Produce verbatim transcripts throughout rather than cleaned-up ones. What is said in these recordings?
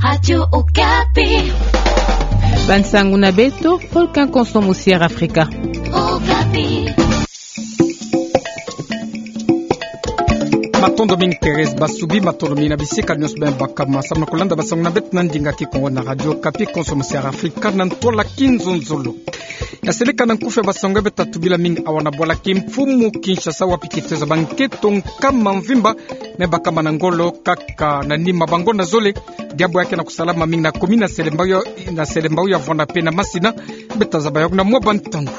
Radio Okapi. Bansangu na beto, Volcan Konso Musier Afrika. Okapi. Matondo mingi Thérèse Basubi, matondo mingi na bisika nionso bima bakama samu na kulanda bansangu na beto na ndinga Kikongo na Radio Okapi, Konso Musier Afrika, na ntwala kinzonzolo. Ya seleka na nkufi ya bansangu ya beto tubila mingi awa na bwala kimfumu Kinshasa, wapi kitezo ya bankento nkama mvimba me bakama na ngolo kaka na nima bangonda zole. Diambu ya ke na kusalama mingi na commune ya Selembao, na Selembao ya Vwanda pe na Masina. Beto tazaba yawu na mwa bantangu.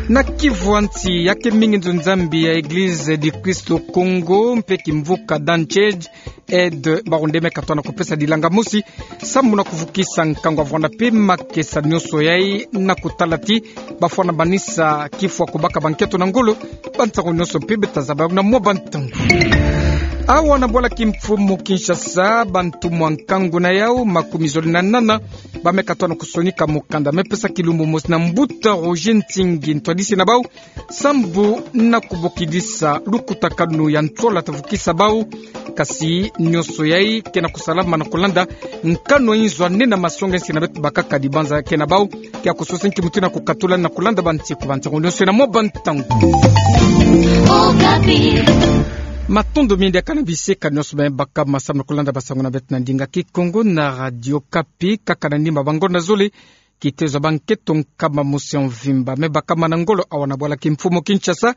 Na Kivu ya nsi, ya ke mingi nzo Nzambi ya Église du Christ au Congo mpe kimvuka Dunchurch Aid, bawu nde me katona kupesa dilanga mosi samu na kuvukisa nkangu ya Vwanda pe makesa nionso yai na kutala ti bafwana banisa kifwa kubaka bankento na ngolo. Bansangu nionso mpe beto tazaba yawu na mwa bantangu. Awa na bwala kimfumu Kinshasa, bantumwa nkangu na yawu makumi zole na nana ba me katona kusonika mukanda me pesa kilumbu mosi na mbuta Roger Ntingi, ntwadisi na bawu, sambu na kubokidisa lukutakanu ya ntwala ta vukisa bawu. Kasi nionso yai ke na kusalama na kulanda nkanu ya inzo ya nene masonga nsi na beto bakaka. Dibanza ya ke na bawu ke ya kusosa nki mutu na kukatula na kulanda bansiku. Bansangu nionso na mwa bantangu. Okapi. Matondo mingi diaka na bisika nionso bima bakama samu na kulanda bansangu na beto na ndinga Kikongo na Radio Okapi. Kaka na nima bangonda zole, kitezo ya bankento nkama mosi ya mvimba me bakama na ngolo awa na bwala kimfumu Kinshasa.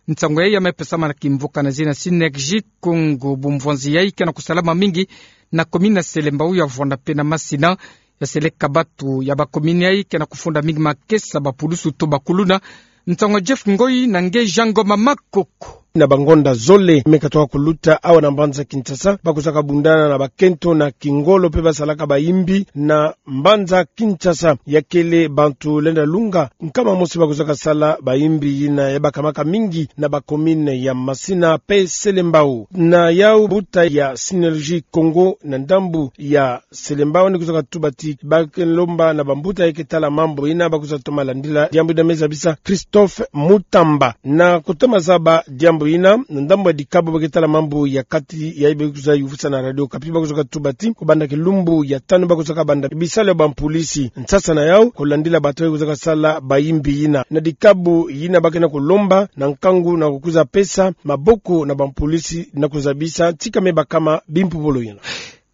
Nsangu yai ya me pesama na kimvuka na zina Synergie Congo. Bumvwanzi yai ke na kusalama mingi na commune ya Selembao, ya Vwanda pe na Masina. Ya seleka bantu ya ba commune yai ke na kufunda mingi makesa, bapulusu to bakuluna. Nsangu ya Jeff Ngoi na nge Jean Ngoma Makoko. Na bangonda zole me katoka kuluta awa na mbanza Kinshasa, ba kuzaka bundana na bankento na kingolo mpe basalaka bayimbi na mbanza Kinshasa. Ya kele bantu lenda lunga nkama mosi ba kuzaka sala bayimbi yina ya bakamaka mingi na ba commune ya Masina mpe Selembao. Na yawu mbuta ya Synergie Congo na ndambu ya Selembao ni kuzaka tuba ti ba ke lomba na bambuta ya ke tala mambu yina ba kwiza toma landila diambu yina me zabisa Christophe Mutamba. Na kutoma zaba diambu yina, na ndambu ya dikabu ba ke tala mambu ya kati ya yai be kwiza yuvisa na Radio Okapi, ba kuzaka tuba ti kubanda kilumbu ya tanu ba kuzaka banda bisalu ya bampolisi nsasa na yawu kulandila bato ya kuzaka sala bayimbi yina. Na dikabu yina ba ke na kulomba na nkangu na kukwiza pesa maboko na bampolisi na kuzabisa tika me bakama bimpubulu yina.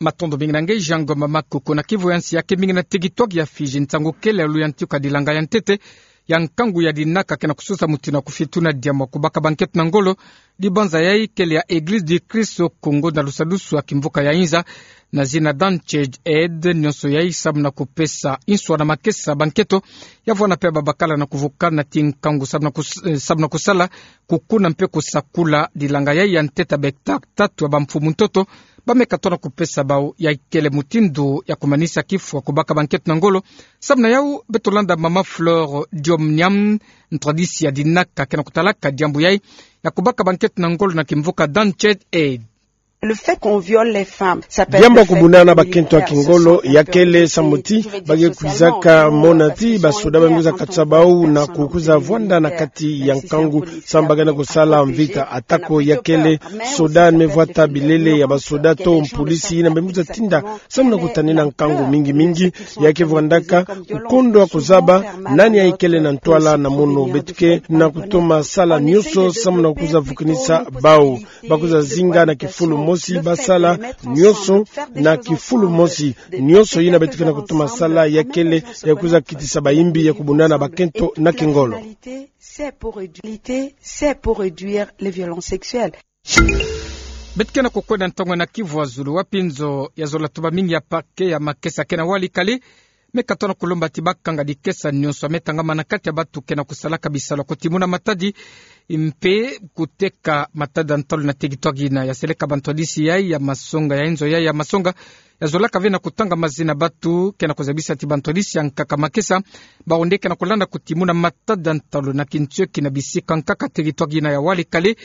Matondo mingi na nge Jean Ngoma Makoko. Na Kivu ya nsi, ya ke mingi na territoire ya Fidji, nsangu kele ya luyantika dilanga ya ntete ya nkangu ya dinaka ke na kusosa mutu na kufitu na diambu ya kubaka bankento na ngolo. Dibanza yai kele ya Église du Christ au Congo na lusadusu ya kimvuka ya Inza na zina Dunchurch Aid, nionso yai samu na kupesa inswa na makesa bankento ya Vwanda mpe babakala na kuvukana ti nkangu samu na kus-, eh, samu na kusala, kukuna mpe kusakula dilanga yai ya ntete ya ba hectare tatu ya bamfumu ntoto ba me katona kupesa bawu. Ya kele mutindu ya kumanisa kifwa kubaka bankento na ngolo. Samu na yawu beto landa mama Flore Diom Niam, ntwadisi ya dinaka, ke na kutalaka diambu yai ya kubaka bankento na ngolo na kimvuka Dunchurch Aid. Le fait qu'on viole les femmes, ça peut être le fait que... Diambu ya kubundana na bankento ya kingolo ya kele samu ti ba ke kwizaka mona ti basoda ba me kwiza katisa bawu na kukwiza vwanda na kati ya nkangu samu ba ke na kusala mvita. Atako ya kele soda ni me vwata bilele ya basoda to mpolisi yina ba me kwiza tinda samu na kutanina nkangu mingi mingi, ya ke vwandaka kukondwa kuzaba nani ya kele na ntwala na mono. Beto ke na kutoma sala nionso samu na kukwiza vukinisa bawu. Ba kwiza zinga na kifulu mosi, ba sala nionso na kifulu mosi. Nionso yina beto ke na kutoma sala ya kele ya kwiza kitisa bayimbi ya kubundana na bankento na kingolo. C'est pour rédu-, lutter, c'est pour réduire les violences sexuelles. Beto ke na kukwenda ntangu na Kivu ya Zulu, wapi nzo ya zola tuba mingi ya parquet ya makesa ke na Walikale me katona kulomba ti bakanga dikesa nionso ya me tangama na kati ya bantu ke na kusalaka bisalu ya kutimuna matadi mpe kuteka matadi ya ntalu na territoire yina. Ya seleka bantwadisi yai ya masonga, ya inzo yai ya masonga, ya zolaka ve na kutanga mazina bantu ke na kuzabisa ti bantwadisi ya nkaka makesa, bawu nde ke na kulanda kutimuna matadi ya ntalu na kintioki na bisika nkaka territoire yina ya Walikale.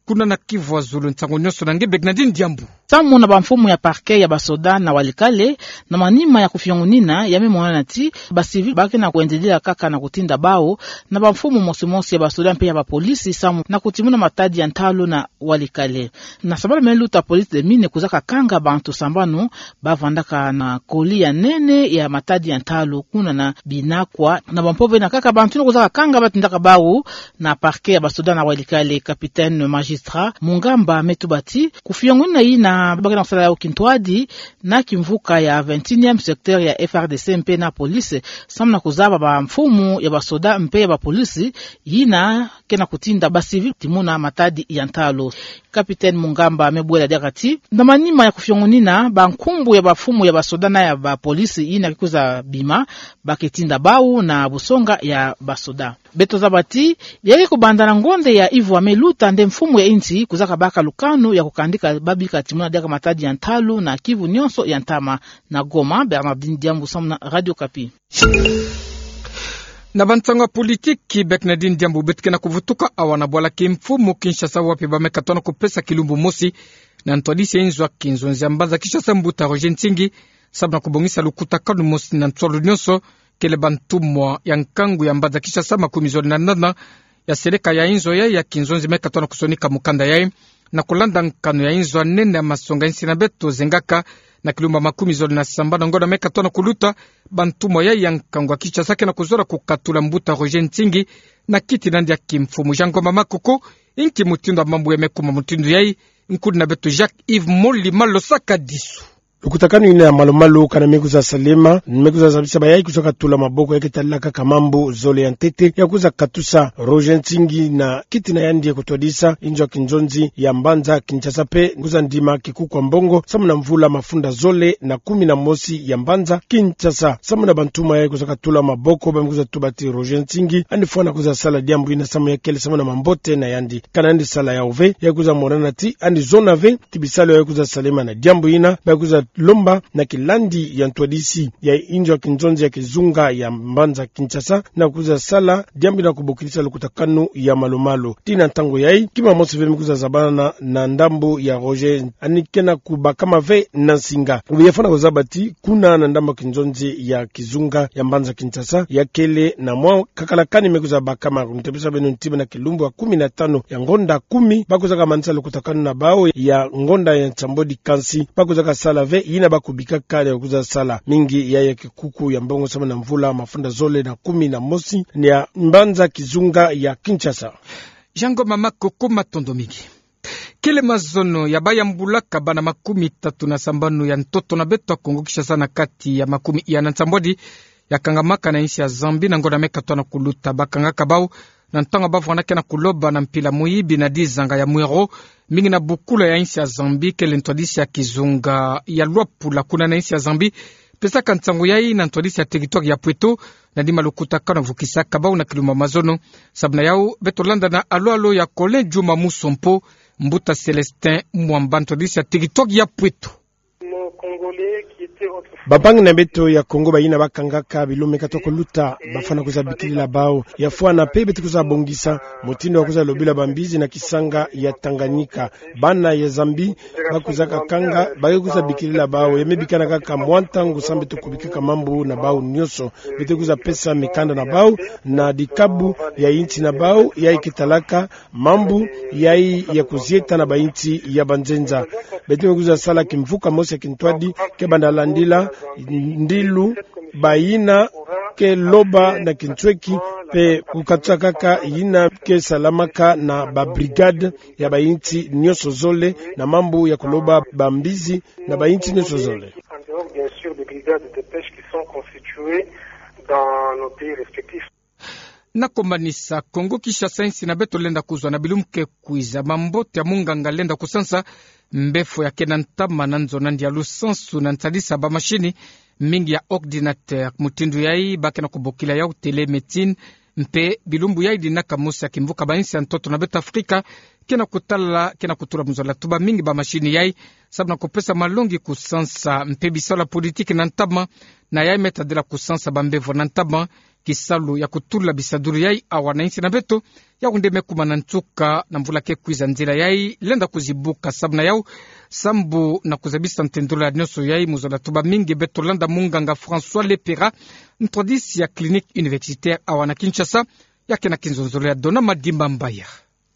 Kuna na Kivu ya Zulu, nsangu nionso na nge Bernardine Diambu. Samu na bamfumu ya parquet ya basoda na Walikale, na manima ya kufiongunina, ya me mona ti ba civil ba ke na kuendelea kaka na kutinda bau na bamfumu mosi mosi ya basoda mpe ya bapolisi, samu na kutimuna matadi ya ntalu na Walikale. Na sambala me luta, police des mines kwiza kakanga bantu sambanu ba vandaka na colis ya nene ya matadi ya ntalu kuna na Binakwa. Na bampove na kaka bantu yina kwiza kakanga ba tindaka bau na parquet ya basoda na Walikale. Capitaine magistrat Mungamba me tuba ti kufiongunina yina ba ke na kusala yau kintwadi na kimvuka ya vingt et unième secteur ya F R D C mpe na police, samu na kuzaba bamfumu ya basoda mpe ya bapolisi yina ke na kutinda ba civil timuna matadi ya ntalu. Capitaine Mungamba me bwela diaka ti, na manima ya kufiongunina bankumbu ya bamfumu ya basoda na ya bapolisi yina ke kwiza bima, ba ke tinda bau na busonga ya basoda. Beto zaba ti, ya ke kubanda na ngonde ya ivwa me luta nde mfumu ya insi kwiza kabaka lukanu ya kukandika ba bika timuna diaka matadi ya ntalu na Kivu nionso ya ntama. Na Goma, Bernardine Diambu samu na Radio Okapi. Na bansangu ya politiki, Bernardine Diambu, beto ke na kuvutuka awa na bwala kimfumu Kinshasa, wapi ba me katuana kupesa kilumbu mosi na ntwadisi ya inzo ya kinzonzi ya mbanza Kinshasa, mbuta Roger Nsingi, samu na kubongisa lukutakanu mosi na nsolo nionso, kele bantumwa ya nkangu ya mbanza Kinshasa makumi zole na nana ya seleka ya inzo yayi ya kinzonzi me katuana kusonika mukanda yayi. Na kulanda nkanu ya inzo ya nene ya masonga ya insi na beto zengaka na kilumbu makumi zole na sambanu na ngonda me katuana kuluta, bantumwa yayi ya nkangu ya Kinshasa ke na kuzola kukatula mbuta Roger Nsingi na kiti na yandi ya kimfumu. Jean Ngoma Makoko, inki mutindu ya mambu ya me kuma mutindu yayi? Nkudi na beto Jacques Yves Molima Losaka Disu. Lukutakanu yina ya malu-malu kana me kwiza salama, me kwiza zabisa bayayi kwiza katula maboko ya ke tala kaka mambu zole ya ntete ya kwiza katusa Roger Nsingi na kiti na yandi ya kutwadisa inzo ya kinzonzi ya mbanza Kinshasa mpe kwiza ndima kikuku ya mbongo samu na mvula mafunda zole na kumi na mosi ya mbanza Kinshasa. Samu na bantumwa yayi kwiza katula maboko, ba me kwiza tuba ti Roger Nsingi yandi fwana kwiza sala diambu yina samu ya kele samu na mambote na yandi. Kana yandi sala yau ve, ya kwiza monana ti yandi zona ve ti bisalu yayi kwiza salama. Na diambu yina ba kwiza lomba na kilandi ya ntwadisi ya inzo ya kinzonzi ya kizunga ya mbanza Kinshasa na kwiza sala diambu yina kubokilisa lukutakanu ya malu-malu. Tii na ntangu yayi, kima mosi ve me kwiza zabana na ndambu ya Roger, yandi ke na kubakama ve na nsinga. Obi ya fwana kuzaba ti kuna na ndambu ya kinzonzi ya kizunga ya mbanza Kinshasa, ya kele na mwa kakalakani me kwiza bakama. Ntabisa beno ntima na kilumbu ya kumi na tanu ya ngonda kumi, ba kwiza kamanisa lukutakanu na bau ya ngonda ya nsambwadi kansi, ba kwiza kasala ve yina ba kubikaka ya kwiza sala mingi ya, ya kikuku ya mbongo samu na mvula mafunda zole na kumi na mosi ya mbanza kizunga ya Kinshasa. Jean Ngoma Makoko, matondo mingi. Kele mazono ya bayambulaka bana makumi tatu na sambanu ya ntoto na beto ya Kongo Kinshasa na kati ya makumi iya na nsambwadi ya kangamaka na insi ya Zambie na ngonda me katuana kuluta. Ba kangaka bau na ntangu ba vwandaka na kuloba na mpila muyibi na dizanga ya Mwero, mingi na bukula ya insi ya Zambie, kele ntwadisi ya kizunga ya Luapula kuna na insi ya Zambie pesaka nsangu yayi na ntwadisi ya territoire ya Pweto, na dima lukutakanu ya vukisaka bau na kilumbu ya mazono. Samu na yau, beto landa na alo-alo ya Colin Djuma Musompo, mbuta Célestin Mwamba, ntwadisi ya territoire ya Pweto. Bampangi na beto ya Kongo bayina ba kangaka bilumbu me katuana kuluta, ba fwana kwiza bikilila bau. Ya fwana mpe beto kwiza bongisa mutindu ya kwiza lobila bambizi na kisanga ya Tanganyika. Bana ya Zambie ba kwizaka kanga, ba ke kwiza bikilila bau. Ya me bikana kaka mwa ntangu samu beto kubikaka mambu na bau nyonso. Beto kwiza pesa mikanda na bau na dikabu ya insi na bau, yayi ke talaka mambu yayi ya kuzieta na bainsi ya banzenza. Beto me kwiza sala kimvuka mosi ya kintwadi, ke banda landila ndilu bayina ke loba na kinsweki, mpe kukatsa kaka yina ke salamaka na ba brigade ya bainsi nyonso zole, na mambu ya kuloba bambizi na bainsi nyonso zole. En dehors, bien sûr, des brigades de pêche qui sont constituées dans nos pays respectifs. Na komanisa, Kongo Kinshasa, insi na beto lenda kuzwa na bilumbu ke kwiza mambote ya munganga lenda kusansa mbefo ya ke na ntama na nzo na ndialu sansu na nsadisa bamashini mingi ya ordinateur. Mutindu yayi ba ke na kubokila yau télémédecine, mpe bilumbu yayi dinaka mosi ya kimvuka bainsi ya ntoto na beto Afrika ke na kutala, ke na kutula mu zola tuba mingi bamashini yayi, samu na kupesa malongi kusansa mpe bisalu ya politiki na ntama, na yayi me tadila kusansa bambevo na ntama, kisalu ya kutula bisadulu yai, awa na insi na beto, yau nde me kuma na nsuka na mvula ke kwiza nzila yai, lenda kuzibuka sababu na yau, sambu na kuzabisa ntendolo ya nionso yai, mu zola tuba mingi beto landa munganga François Lepera, ntwadisi ya Clinique Universitaire awa na Kinshasa, ya ke na kinzonzolo ya Dona Madimba Mbaya.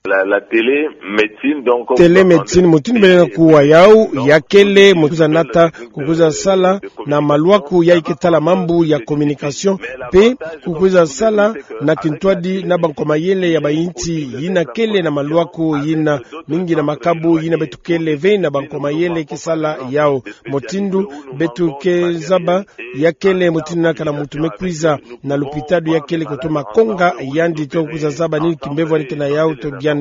La, la télémédecine, donc, télémédecine, mutindu bele na kuwa yau, ya kele, mu kwiza nata, ku kwiza sala, na maluaku yai ke tala mambu ya communication, mpe ku kwiza sala, na kintwadi, na bankwa mayele ya bayinti, yina kele na maluaku, yina mingi na makabu, yina beto kele ve, na bankwa mayele ke sala yau. Mutindu, beto ke zaba, ya kele mutindu na kana muntu me kwiza na lupitalu ya kele kutoma konga, yandi to kwiza zaba nini kimbevo yandi ke na yau to diagnostic.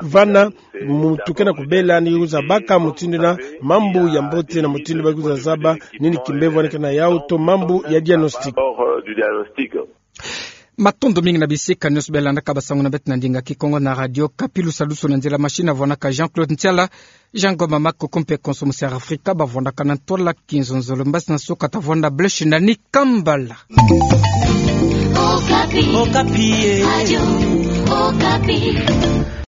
Vana, muntu ke na kubela ni kwiza baka mutindu na mambu ya mbote na mutindu ba kwiza zaba nini kimbevo yandi ke na yau to mambu ya diagnostic. Matondo mingi na bisika nionso bela landaka basango na beto na ndinga Kikongo na Radio Okapi. Lusalusu na nzila machine avwanaka Jean-Claude Ntiala, Jean Ngoma Makoko mpe Konso Musi ya Afrika bavwandaka na ntwala kinzonzolo. Mbasi na nsuka tavwanda Blaise Ndani Kambala. Okapi. Okapi, eh. Radio Okapi.